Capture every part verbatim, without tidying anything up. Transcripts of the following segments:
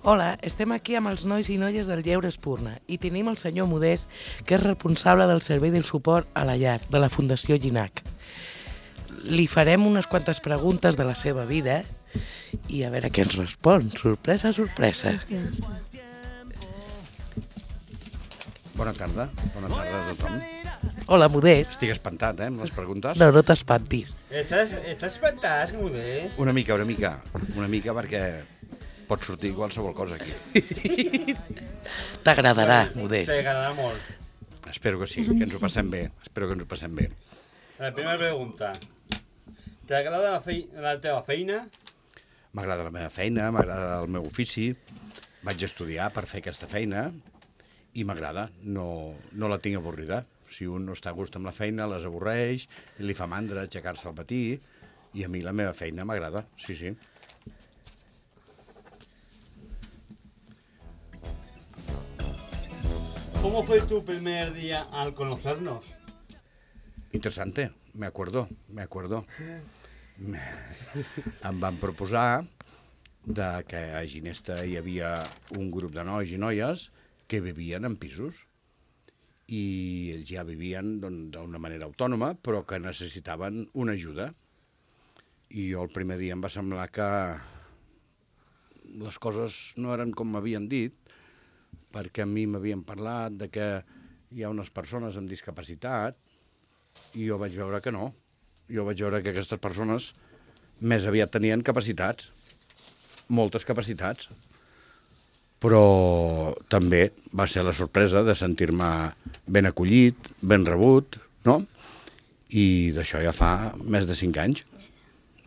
Hola, estem aquí amb els nois i noies del Lleure Espurna i tenim el senyor Modest, que és responsable del servei del suport a la llar de la Fundació Ginac. Li farem unes quantes preguntes de la seva vida i a veure què ens respon. Sorpresa, sorpresa. Bona tarda, bona tarda a tothom. Hola, Modest. Estic espantat, eh, amb les preguntes. No, no t'espantis. Estàs, estàs espantat, Modest? Una mica, una mica, una mica perquè pot sortir qualsevol cosa aquí. T'agradarà, Modest. T'agradarà molt. Espero que sí, que ens ho passem bé, espero que ens ho passem bé. La primera pregunta. T'agrada la, fei la teva feina? M'agrada la meva feina, m'agrada el meu ofici, vaig estudiar per fer aquesta feina i m'agrada, no, no la tinc avorrida. Si un no està a gust amb la feina, les avorreix, li fa mandra aixecar-se al matí, i a mi la meva feina m'agrada, sí, sí. ¿Cómo fue tu primer día al conocernos? Interesante, me acuerdo, me acuerdo. Em van proposar de que a Ginesta hi havia un grup de nois i noies que vivien en pisos i ells ja vivien d'una manera autònoma, però que necessitaven una ajuda. I jo el primer dia em va semblar que les coses no eren com m'havien dit, perquè a mi m'havien parlat de que hi ha unes persones amb discapacitat i jo vaig veure que no. Jo vaig veure que aquestes persones més aviat tenien capacitats, moltes capacitats, però també va ser la sorpresa de sentir-me ben acollit, ben rebut, no? I d'això ja fa més de cinc anys.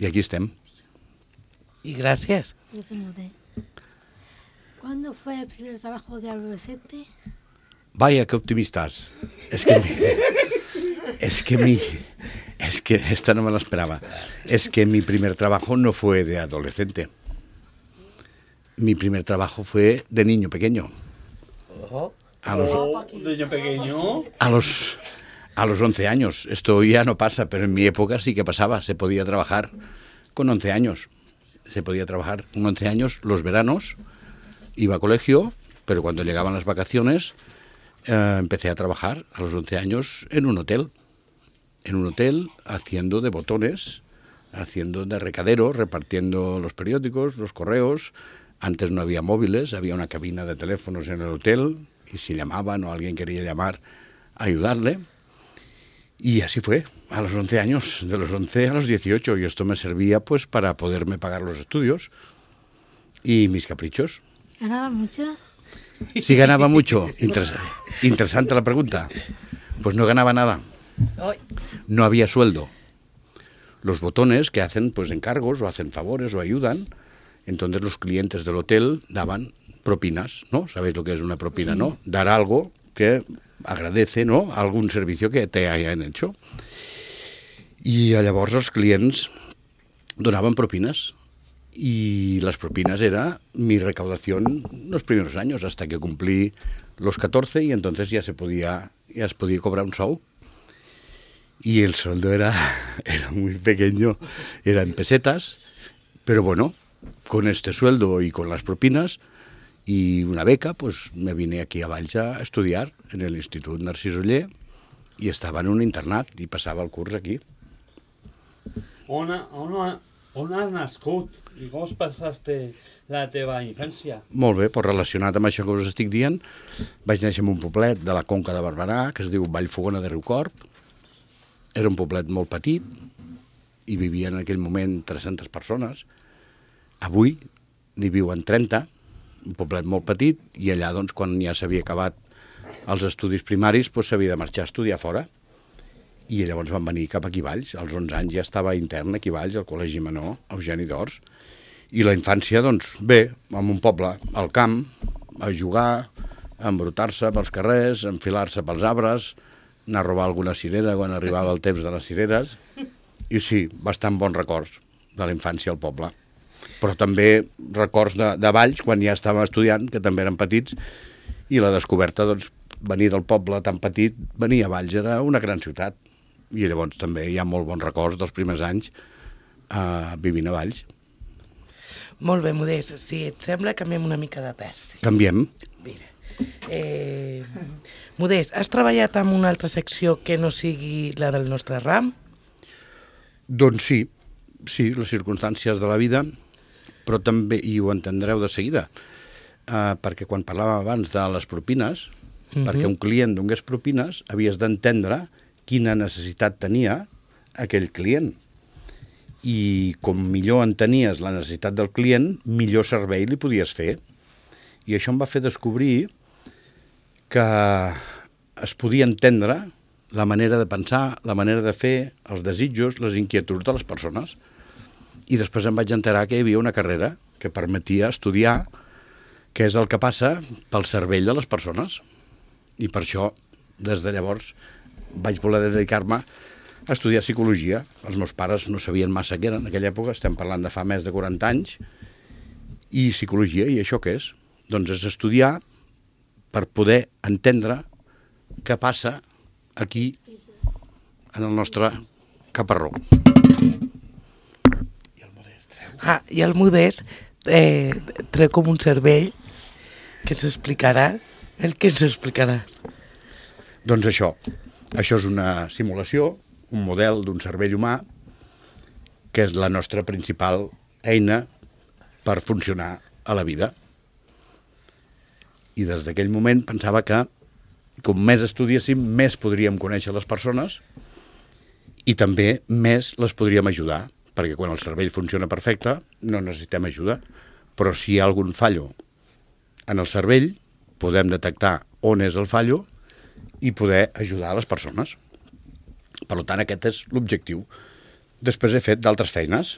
I aquí estem. I gràcies. ¿Cuándo fue el primer trabajo de adolescente? Vaya, qué optimistas. Es que... Es que mi... Es que esta no me la esperaba. Es que mi primer trabajo no fue de adolescente. Mi primer trabajo fue de niño pequeño. A los, Oh, ¿de niño pequeño? a los, a los once años. Esto ya no pasa, pero en mi época sí que pasaba. Se podía trabajar con once años. Se podía trabajar con once años los veranos. Iba a colegio, pero cuando llegaban las vacaciones eh, empecé a trabajar a los once años en un hotel. En un hotel haciendo de botones, haciendo de recadero, repartiendo los periódicos, los correos. Antes no había móviles, había una cabina de teléfonos en el hotel y si llamaban o alguien quería llamar, ayudarle. Y así fue, a los once años, de los once a los dieciocho, y esto me servía pues para poderme pagar los estudios y mis caprichos. ¿Ganaba mucho? Si ganaba mucho, Interes- interesante la pregunta, pues no ganaba nada. No había sueldo. Los botones que hacen pues encargos o hacen favores o ayudan, entonces los clientes del hotel daban propinas, ¿no? ¿Sabéis lo que es una propina, sí, no? Dar algo que agradece, ¿no? Algun servicio que te hayan hecho. I llavors els clients donaven propines y las propinas era mi recaudación los primeros años hasta que cumplí los catorce y entonces ya se podía, ya se podía cobrar un sou. Y el sueldo era, era muy pequeño, era en pesetas, pero bueno, con este sueldo y con las propinas y una beca, pues me vine aquí a Valls a estudiar en el Institut Narcís Oller y estaba en un internat y pasaba el curs aquí. On, on, on has nascut i com passaste la teva infància? Molt bé, pues relacionat amb això que us estic dient, vaig néixer en un poblet de la Conca de Barberà que es diu Vallfogona de Riucorb. Era un poblet molt petit i vivia en aquell moment tres-centes persones. Avui n'hi viuen trenta, un poblet molt petit, i allà, doncs, quan ja s'havia acabat els estudis primaris, doncs s'havia de marxar a estudiar fora. I llavors van venir cap aquí a Valls. Als onze anys ja estava intern aquí a Valls, al Col·legi Menor, Eugeni d'Ors. I la infància, doncs, bé, en un poble, al camp, a jugar, a embrutar-se pels carrers, a enfilar-se pels arbres, anar a robar alguna cirera quan arribava el temps de les cireres. I sí, bastant bons records de la infància al poble. Però també records de, de Valls, quan ja estava estudiant, que també eren petits, i la descoberta, doncs, venir del poble tan petit, venir a Valls era una gran ciutat. I llavors també hi ha molt bons records dels primers anys eh, vivint a Valls. Molt bé, Modest, si et sembla, canviem una mica de terç. Canviem. Mira, eh, Modest, has treballat en una altra secció que no sigui la del nostre ram? Doncs sí, sí, les circumstàncies de la vida, però també, i ho entendreu de seguida, eh, perquè quan parlàvem abans de les propines, uh-huh. perquè un client donés propines, havies d'entendre quina necessitat tenia aquell client. I com millor entenies la necessitat del client, millor servei li podies fer. I això em va fer descobrir que es podia entendre la manera de pensar, la manera de fer, els desitjos, les inquietuds de les persones. I després em vaig enterar que hi havia una carrera que permetia estudiar què és el que passa pel cervell de les persones. I per això, des de llavors, vaig voler dedicar-me a estudiar psicologia. Els meus pares no sabien massa què era en aquella època, estem parlant de fa més de quaranta anys, i psicologia, i això què és? Doncs és estudiar per poder entendre què passa aquí, en el nostre caparró. I el Modest treu. Ah, i el Modest eh, treu com un cervell que s'explicarà. El que ens explicaràs? Doncs això, això és una simulació, un model d'un cervell humà, que és la nostra principal eina per funcionar a la vida. I des d'aquell moment pensava que, com més estudiéssim, més podríem conèixer les persones i també més les podríem ajudar, perquè quan el cervell funciona perfecte no necessitem ajuda, però si hi ha algun fallo en el cervell, podem detectar on és el fallo i poder ajudar a les persones. Per tant, aquest és l'objectiu. Després he fet d'altres feines,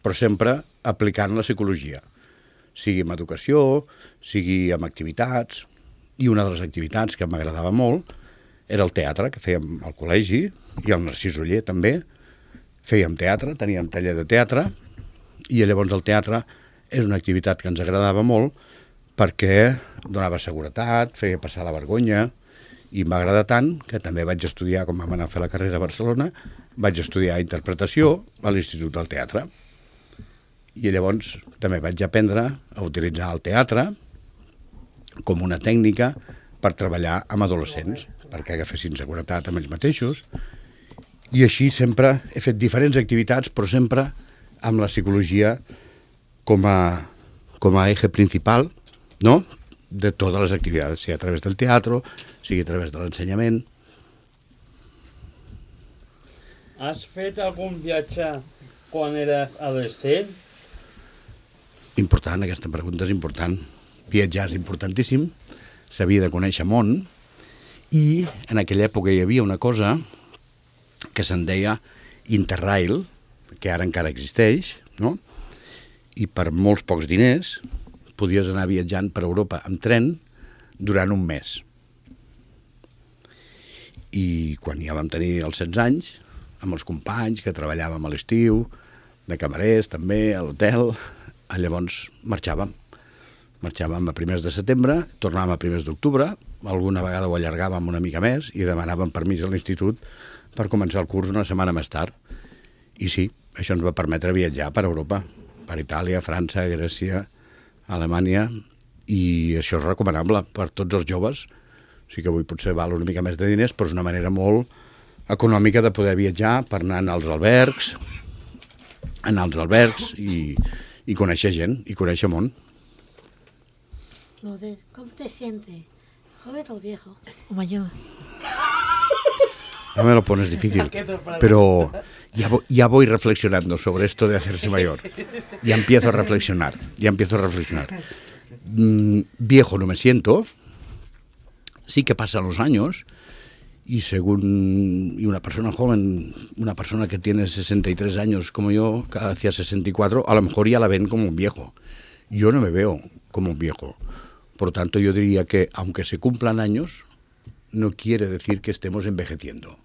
però sempre aplicant la psicologia, sigui en educació, sigui en activitats, i una de les activitats que m'agradava molt era el teatre, que fèiem al col·legi, i al Narcís Oller també. Fèiem teatre, teníem taller de teatre, i llavors el teatre és una activitat que ens agradava molt perquè donava seguretat, feia passar la vergonya, i m'agrada tant que també vaig estudiar, com vam anar a fer la carrera a Barcelona, vaig estudiar interpretació a l'Institut del Teatre. I llavors també vaig aprendre a utilitzar el teatre com una tècnica per treballar amb adolescents, perquè agafessin seguretat amb ells mateixos. I així sempre he fet diferents activitats, però sempre amb la psicologia com a, com a eje principal, no?, de totes les activitats, sigui a través del teatre, sigui a través de l'ensenyament. Has fet algun viatge quan eres adolescent? Important, aquesta pregunta és important. Viatjar és importantíssim, s'havia de conèixer món, i en aquella època hi havia una cosa que se'n deia Interrail, que ara encara existeix, no? I per molts pocs diners podies anar viatjant per Europa amb tren durant un mes. I quan ja vam tenir els setze anys, amb els companys que treballàvem a l'estiu, de camarers també, a l'hotel, llavors marxàvem. Marxàvem a primers de setembre, tornàvem a primers d'octubre, alguna vegada ho allargàvem una mica més i demanàvem permís a l'institut per començar el curs una setmana més tard. I sí, això ens va permetre viatjar per Europa, per Itàlia, França, Grècia, Alemanya, i això és recomanable per tots els joves. Sí que avui potser val una mica més de diners, però és una manera molt econòmica de poder viatjar per anar als albergs, anar als albergs i, i conèixer gent, i conèixer món. Modest, ¿cómo te sientes? ¿Joven o viejo? ¿O mayor? No me lo pones difícil, pero ya, ya voy reflexionando sobre esto de hacerse mayor. Ya empiezo a reflexionar, ya empiezo a reflexionar. Mm, viejo no me siento, sí que pasan los años y según y una persona joven, una persona que tiene sesenta y tres años como yo, hacia sesenta y cuatro, a lo mejor ya la ven como un viejo. Yo no me veo como un viejo. Por lo tanto, yo diría que aunque se cumplan años, no quiere decir que estemos envejeciendo.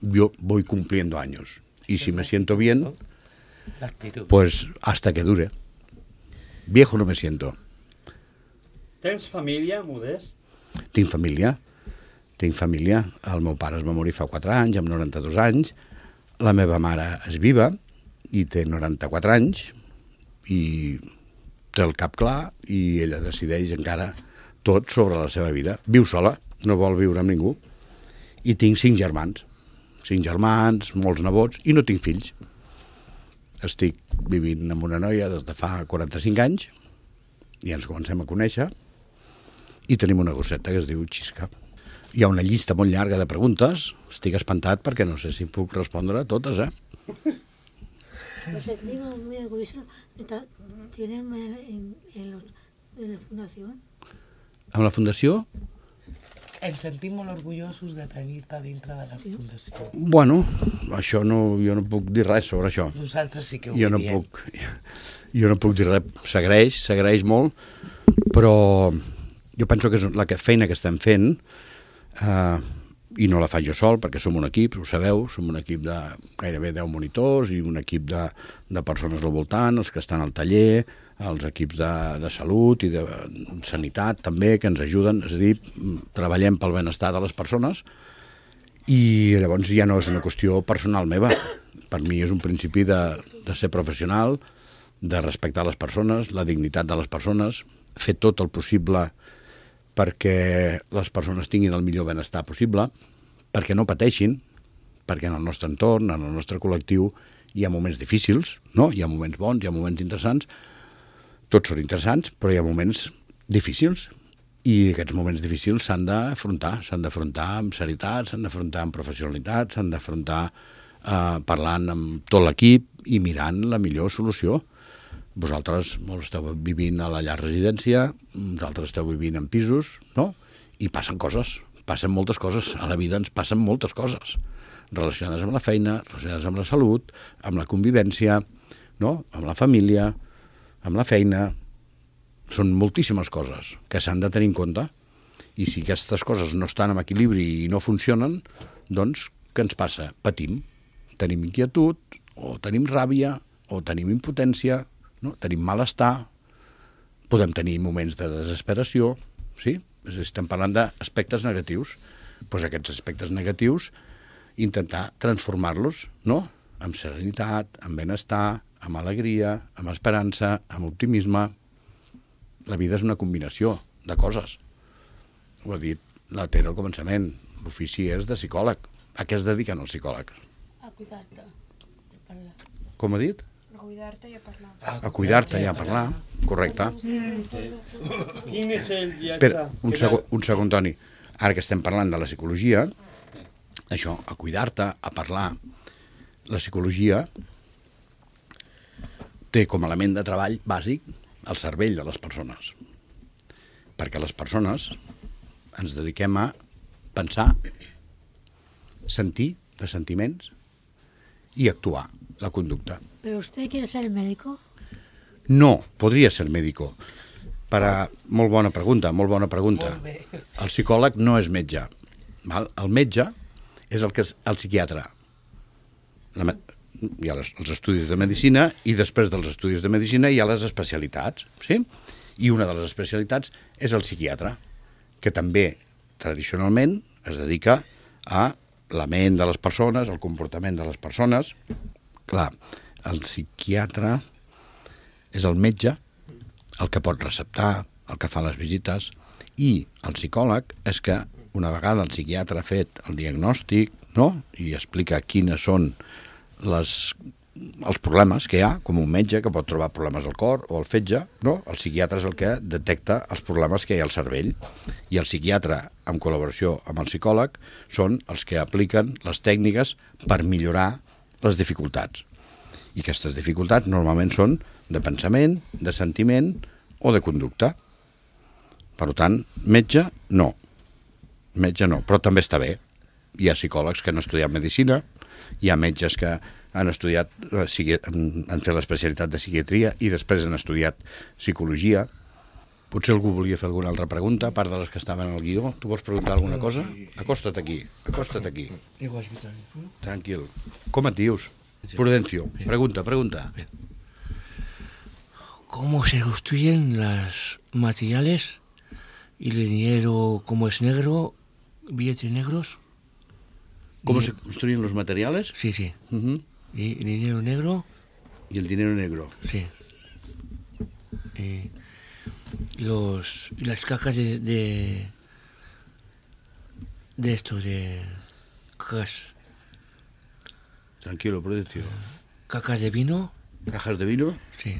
Yo voy cumpliendo años. Y si me siento bien, pues hasta que dure. Viejo no me siento. Tens família, Modest? Tinc família. Tinc família. El meu pare es va morir fa quatre anys, amb noranta-dos anys. La meva mare és viva i té noranta-quatre anys. i té el cap clar i ella decideix encara tot sobre la seva vida. Viu sola, no vol viure amb ningú. I tinc cinc germans. Cinc germans, molts nebots, i no tinc fills. Estic vivint amb una noia des de fa quaranta-cinc anys i ens comencem a conèixer i tenim una gosseta que es diu Xisca. Hi ha una llista molt llarga de preguntes. Estic espantat perquè no sé si puc respondre a totes, eh? Pues el clima muy orgulloso. ¿Tienen en, en, los, en la fundación? Amb la fundació? Ens sentim molt orgullosos de tenir-te dintre de la sí. fundació. Bueno, això no, jo no puc dir res sobre això. Nosaltres sí que ho jo no diem. puc, jo no puc dir res. S'agraeix, s'agraeix molt, però jo penso que és la que, feina que estem fent, eh, i no la faig jo sol, perquè som un equip, ho sabeu, som un equip de gairebé deu monitors i un equip de, de persones al voltant, els que estan al taller, els equips de, de salut i de sanitat també, que ens ajuden, és a dir, treballem pel benestar de les persones i llavors ja no és una qüestió personal meva. Per mi és un principi de, de ser professional, de respectar les persones, la dignitat de les persones, fer tot el possible perquè les persones tinguin el millor benestar possible, perquè no pateixin, perquè en el nostre entorn, en el nostre col·lectiu, hi ha moments difícils, no? Hi ha moments bons, hi ha moments interessants, tots són interessants, però hi ha moments difícils, i aquests moments difícils s'han d'afrontar, s'han d'afrontar amb serietat, s'han d'afrontar amb professionalitat, s'han d'afrontar eh, parlant amb tot l'equip i mirant la millor solució. Vosaltres molts esteu vivint a la llar residència, vosaltres esteu vivint en pisos, no? I passen coses, passen moltes coses. A la vida ens passen moltes coses relacionades amb la feina, relacionades amb la salut, amb la convivència, no? Amb la família, amb la feina. Són moltíssimes coses que s'han de tenir en compte, i si aquestes coses no estan en equilibri i no funcionen, doncs què ens passa? Patim. Tenim inquietud, o tenim ràbia, o tenim impotència, no? Tenim malestar, podem tenir moments de desesperació, sí? Estem parlant d'aspectes negatius. Doncs aquests aspectes negatius intentar transformar-los, no? Amb serenitat, amb benestar, amb alegria, amb esperança, amb optimisme. La vida és una combinació de coses. Ho ha dit la Tere al començament. L'ofici és de psicòleg. A què es dediquen els psicòlegs? A cuidar-te i parlar. Com ha dit? A cuidar-te i a parlar. A cuidar-te i a parlar, correcte. Quin és el viatge? Espera, un segon, un segon, Toni. Ara que estem parlant de la psicologia, això, a cuidar-te, a parlar, la psicologia té com a element de treball bàsic el cervell de les persones. Perquè les persones ens dediquem a pensar, sentir de sentiments i actuar, la conducta. ¿Pero usted quiere ser médico? No, podria ser médico. Per a... Molt bona pregunta, molt bona pregunta. Molt bé. El psicòleg no és metge. Val? El metge és el que és el psiquiatre. La, me- hi ha les, els estudis de medicina i després dels estudis de medicina hi ha les especialitats, sí? I una de les especialitats és el psiquiatre, que també tradicionalment es dedica a la ment de les persones, el comportament de les persones. Clar, el psiquiatre és el metge, el que pot receptar, el que fa les visites, i el psicòleg és que una vegada el psiquiatre ha fet el diagnòstic, no?, i explica quines són les, els problemes que hi ha, com un metge que pot trobar problemes al cor o al fetge, no? El psiquiatre és el que detecta els problemes que hi ha al cervell, i el psiquiatre, en col·laboració amb el psicòleg, són els que apliquen les tècniques per millorar les dificultats. I aquestes dificultats normalment són de pensament, de sentiment o de conducta. Per tant, metge, no. Metge no, però també està bé. Hi ha psicòlegs que han estudiat medicina, hi ha metges que han estudiat, han fet l'especialitat de psiquiatria i després han estudiat psicologia. Potser algú volia fer alguna altra pregunta, a part de les que estaven al guió. Tu vols preguntar alguna cosa? Acosta't aquí, acosta't aquí. Tranquil. Com et dius? Prudencio. Pregunta, pregunta. ¿Cómo se construyen los materiales y el dinero, como es negro, billetes negros? ¿Cómo y... se construyen los materiales? Sí, sí. Uh-huh. ¿Y el dinero negro? Y el dinero negro. Sí. Y los, y las cacas de, de, de esto, de cacas, Tranquilo, Prudencio. cacas de vino, Cajas de vino. sí.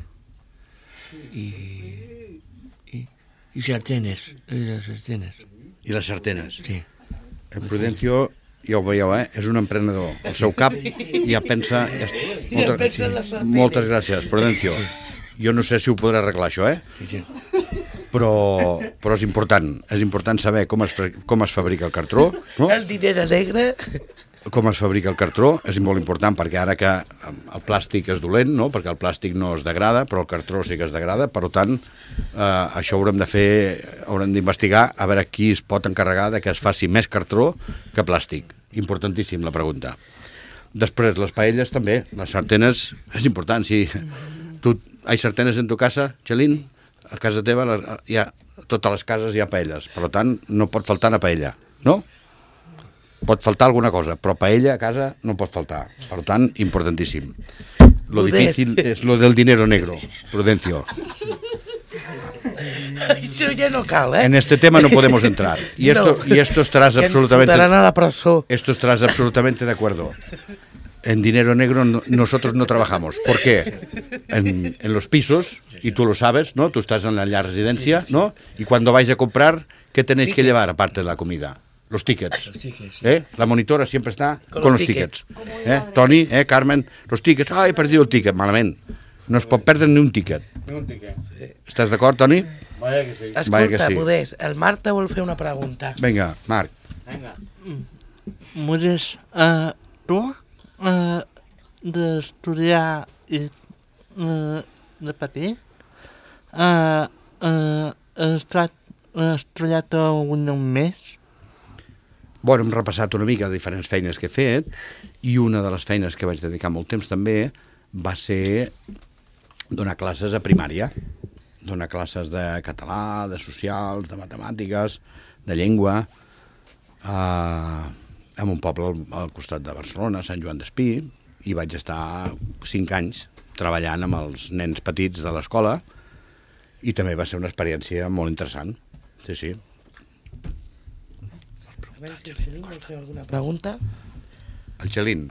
Y, y, y sartenes, y las sartenes, I les sartenes. sí. El Prudencio, ja ho veieu, eh? És un emprenedor. El seu cap ja pensa... Ja... Moltes, pensa en les sartenes. moltes gràcies, Prudencio. Jo no sé si ho podrà arreglar, això, eh? Sí, sí. Però, però és important. És important saber com es, fa- com es fabrica el cartró, no? El diner negre... Com es fabrica el cartró és molt important, perquè ara que el plàstic és dolent, no? Perquè el plàstic no es degrada, però el cartró sí que es degrada, per tant, eh, això haurem de fer, haurem d'investigar a veure qui es pot encarregar de que es faci més cartró que plàstic. Importantíssim la pregunta. Després, les paelles també, les sartenes, és important. Si tu hay sartenes en tu casa, Chelín, a casa teva les, hi ha, a totes les cases hi ha paelles, per tant, no pot faltar una paella, no? Pot faltar alguna cosa, però paella a casa no pot faltar. Per tant, importantíssim. Lo Modest. difícil es lo del dinero negro, Prudencio. Això ja no cal, eh? En este tema no podemos entrar. Y esto, No. y esto estarás Que ens absolutamente... fotran a la presó. Esto estarás absolutamente de acuerdo. En dinero negro no- nosotros no trabajamos. ¿Por qué? En, en los pisos, y tú lo sabes, ¿no? Tú estás en la, la residencia, ¿no? Y cuando vais a comprar, ¿qué tenéis que llevar aparte de la comida? Los tickets. ¿Eh? La monitora siempre está con, Con los los tickets. ¿Eh? Toni, ¿eh? Carmen, los tickets. Ah, he perdido el ticket, malament. No es pot perdre ni un ticket. Ni un tiquet. Estàs d'acord, Toni? Vaya que sí. Vaya que Escolta, sí. Modest, el Marc te vol fer una pregunta. Vinga, Marc. Venga. Modest, uh, tu uh, d'estudiar i uh, de petit uh, uh, has, estat, has treballat algun més? Bueno, hem repassat una mica de diferents feines que he fet i una de les feines que vaig dedicar molt temps també va ser donar classes a primària, donar classes de català, de socials, de matemàtiques, de llengua, eh, en un poble al, al costat de Barcelona, Sant Joan d'Espí, i vaig estar cinc anys treballant amb els nens petits de l'escola i també va ser una experiència molt interessant. Sí, sí. A veure si el Xelín vol fer alguna pregunta. El Chelín.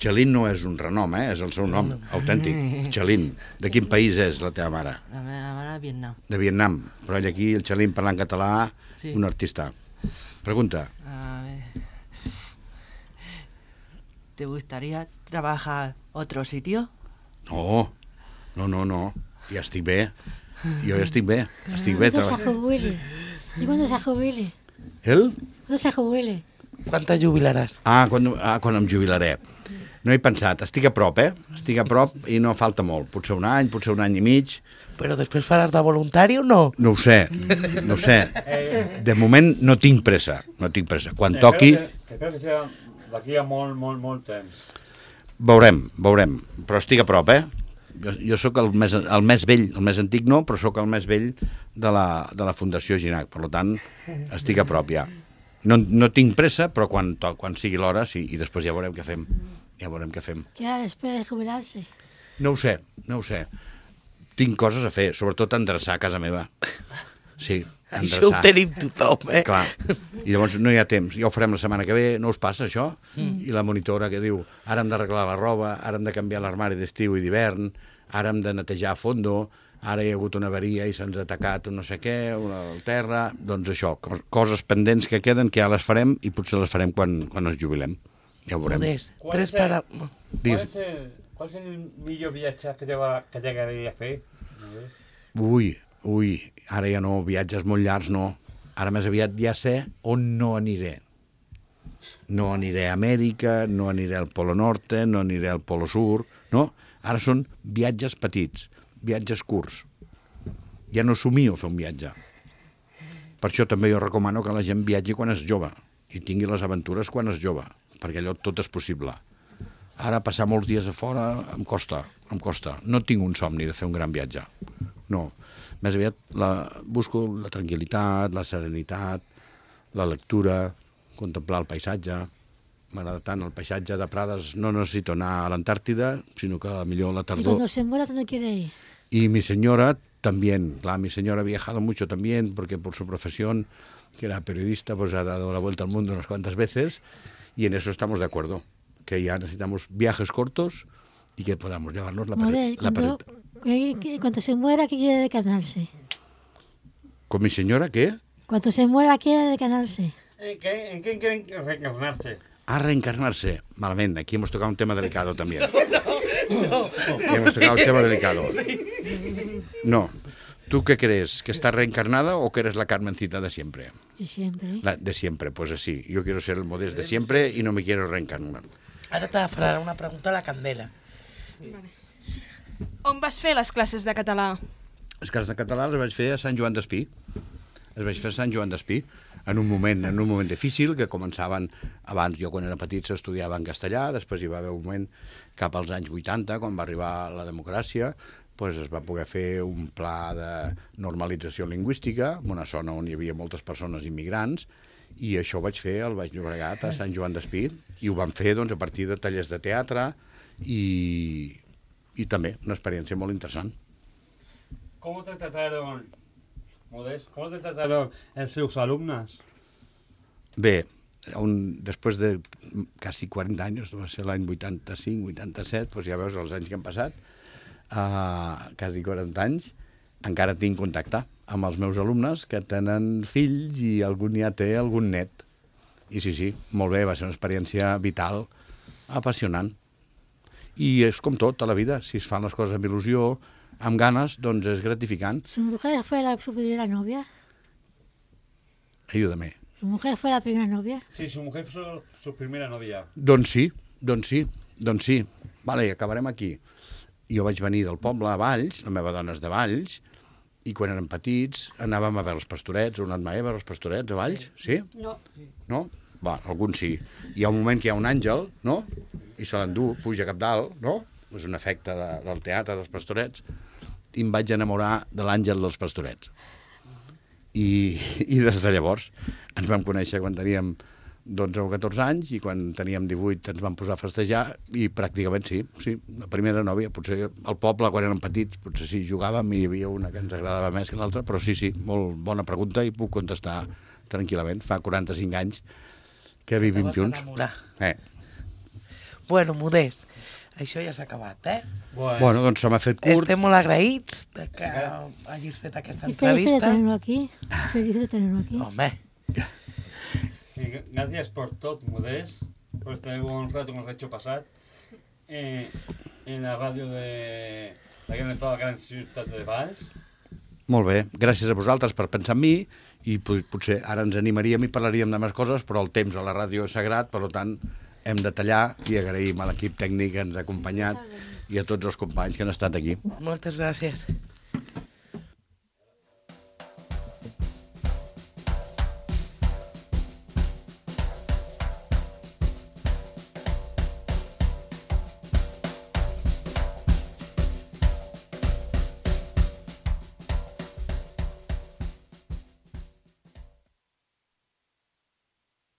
Chelín no és un renom, eh? És el seu nom, autèntic. Chelín. De quin país és la teva mare? La meva mare a Vietnam. De Vietnam. Però ell aquí, el Chelín, parlant català, Sí. un artista. Pregunta. A ver. ¿Te gustaría trabajar otro sitio? No, no, no, no. Ja estic bé. Jo ja estic bé. Estic bé. Cuando se Treball... jubile. ¿Y cuando se jubile? El? Cuando se jubile. Quan te jubilaràs? Ah, quan, ah, quan em jubilaré. No he pensat. Estic a prop, eh? Estic a prop i no falta molt. Potser un any, potser un any i mig. Però després faràs de voluntari o no? No ho sé, no ho sé. De moment no tinc pressa, no tinc pressa. Quan toqui, Que, que crec que serà d'aquí a molt, molt, molt temps. veurem, veurem. Però estic a prop, eh? Jo, jo sóc el més, el més vell, el més antic no, però sóc el més vell de la, de la Fundació Ginac. Per tant, estic a prop ja. No, no tinc pressa, però quan, to, quan sigui l'hora, sí, i després ja veurem què fem. Ja veurem què fem. ¿Qué hará después de jubilarse? No ho sé, no ho sé. Tinc coses a fer, sobretot endreçar a casa meva. Sí, Això ho endreçar. tenim tothom, eh? Clar, i llavors no hi ha temps, ja ho farem la setmana que ve, no us passa això? Mm. I la monitora que diu, ara hem d'arreglar la roba, ara hem de canviar l'armari d'estiu i d'hivern, ara hem de netejar a fondo, ara hi ha hagut una avaria i se'ns ha atacat un no sé què, una, el terra, doncs això, cos, coses pendents que queden que ja les farem i potser les farem quan, quan ens jubilem, ja ho veurem. Modest, Qual tres és el- para... Qual Digues. és el, qual és el millor viatge que t'agrada- que t'agradaria fer? No sé. Ui, ui, ara ja no, viatges molt llargs no, ara més aviat ja sé on no aniré. No aniré a Amèrica, no aniré al Polo Norte, no aniré al Polo Sur, no? Ara són viatges petits, viatges curts. Ja no somio fer un viatge. Per això també jo recomano que la gent viatgi quan és jove i tingui les aventures quan és jove, perquè allò tot és possible. Ara passar molts dies a fora em costa, em costa. No tinc un somni de fer un gran viatge. No. Més aviat la, busco la tranquil·litat, la serenitat, la lectura, contemplar el paisatge. M'agrada tant el paisatge de Prades. No necessito anar a l'Antàrtida, sinó que millor a la Y tardor. cuando se muera, ¿dónde quiere ir? Y mi señora también, claro, mi señora ha viajado mucho también, porque por su profesión, que era periodista, pues ha dado la vuelta al mundo unas cuantas veces, y en eso estamos de acuerdo, que ya necesitamos viajes cortos y que podamos llevarnos la Modest, perrita. cuando, que- que- cuando se muera, ¿qué quiere decanarse? ¿Con mi señora qué? Cuando se muera, quiere decanarse. ¿En qué, en qué quieren reencarnarse? A reencarnarse. Malamente, aquí hemos tocado un tema delicado también. Aquí hemos tocado un tema delicado. No. ¿Tú qué crees? ¿Que estás reencarnada o que eres la Carmencita de siempre? De siempre. La de siempre, pues así. Yo quiero ser el Modest de siempre y no me quiero reencarnar. Ara te farà una pregunta a la Candela. On vas fer les classes de català? Les classes de català les vaig fer a Sant Joan d'Espí. Les vaig fer a Sant Joan d'Espí. En un moment, en un moment difícil, que començaven abans, jo quan era petit s'estudiava en castellà, després hi va haver un moment cap als anys vuitanta, quan va arribar la democràcia, doncs es va poder fer un pla de normalització lingüística, en una zona on hi havia moltes persones immigrants, i això ho vaig fer al Baix Llobregat, a Sant Joan d'Espí, i ho vam fer doncs, a partir de tallers de teatre i, i també una experiència molt interessant. ¿Cómo te trataron, Modest, cómo te trataron els seus alumnes? Bé, un, després de quasi quaranta anys, va ser l'any vuitanta-cinc vuitanta-set, doncs ja veus els anys que han passat, uh, quasi quaranta anys, encara tinc contacte amb els meus alumnes que tenen fills i algun ja té algun net. I sí, sí, molt bé, va ser una experiència vital, apassionant. I és com tot a la vida, si es fan les coses amb il·lusió, amb ganes, doncs és gratificant. ¿Su mujer fue la, su primera novia? Ayúdame. ¿Su mujer fue la primera novia? Sí, su mujer fue su, su primera novia. Doncs sí, doncs sí, doncs sí. Vale, i acabarem aquí. Jo vaig venir del poble a Valls, la meva dona és de Valls, i quan érem petits anàvem a veure els pastorets. Heu anat mai a veure els pastorets a Valls? Sí? No. No? Va, alguns sí. Hi ha un moment que hi ha un àngel, no? I se l'endú, puja cap dalt, no? És un efecte de, del teatre dels pastorets. I em vaig enamorar de l'àngel dels pastorets. I, i des de llavors ens vam conèixer quan teníem dotze o catorze anys i quan teníem divuit ens vam posar a festejar i pràcticament sí, sí, la primera nòvia, potser al poble quan érem petits, potser sí, jugàvem i hi havia una que ens agradava més que l'altra, però sí, sí, molt bona pregunta i puc contestar tranquil·lament. Fa quaranta-cinc anys que vivim junts. Eh. Bueno, Modest, això ja s'ha acabat, eh? Bueno, Bueno, doncs se m'ha fet curt. Estem molt agraïts de que hagis fet aquesta Y feliz de entrevista. tenerlo aquí. Feliz de tenerlo aquí. Home, y gracias por todo, Modest, por este buen rato que nos ha hecho pasar eh, en la radio de la gran, toda la gran ciutat de Valls. Molt bé, gràcies a vosaltres per pensar en mi i pot- potser ara ens animaríem i parlaríem de més coses, però el temps a la ràdio és sagrat, per tant hem de tallar i agraïm a l'equip tècnic que ens ha acompanyat i a tots els companys que han estat aquí. moltes gràcies.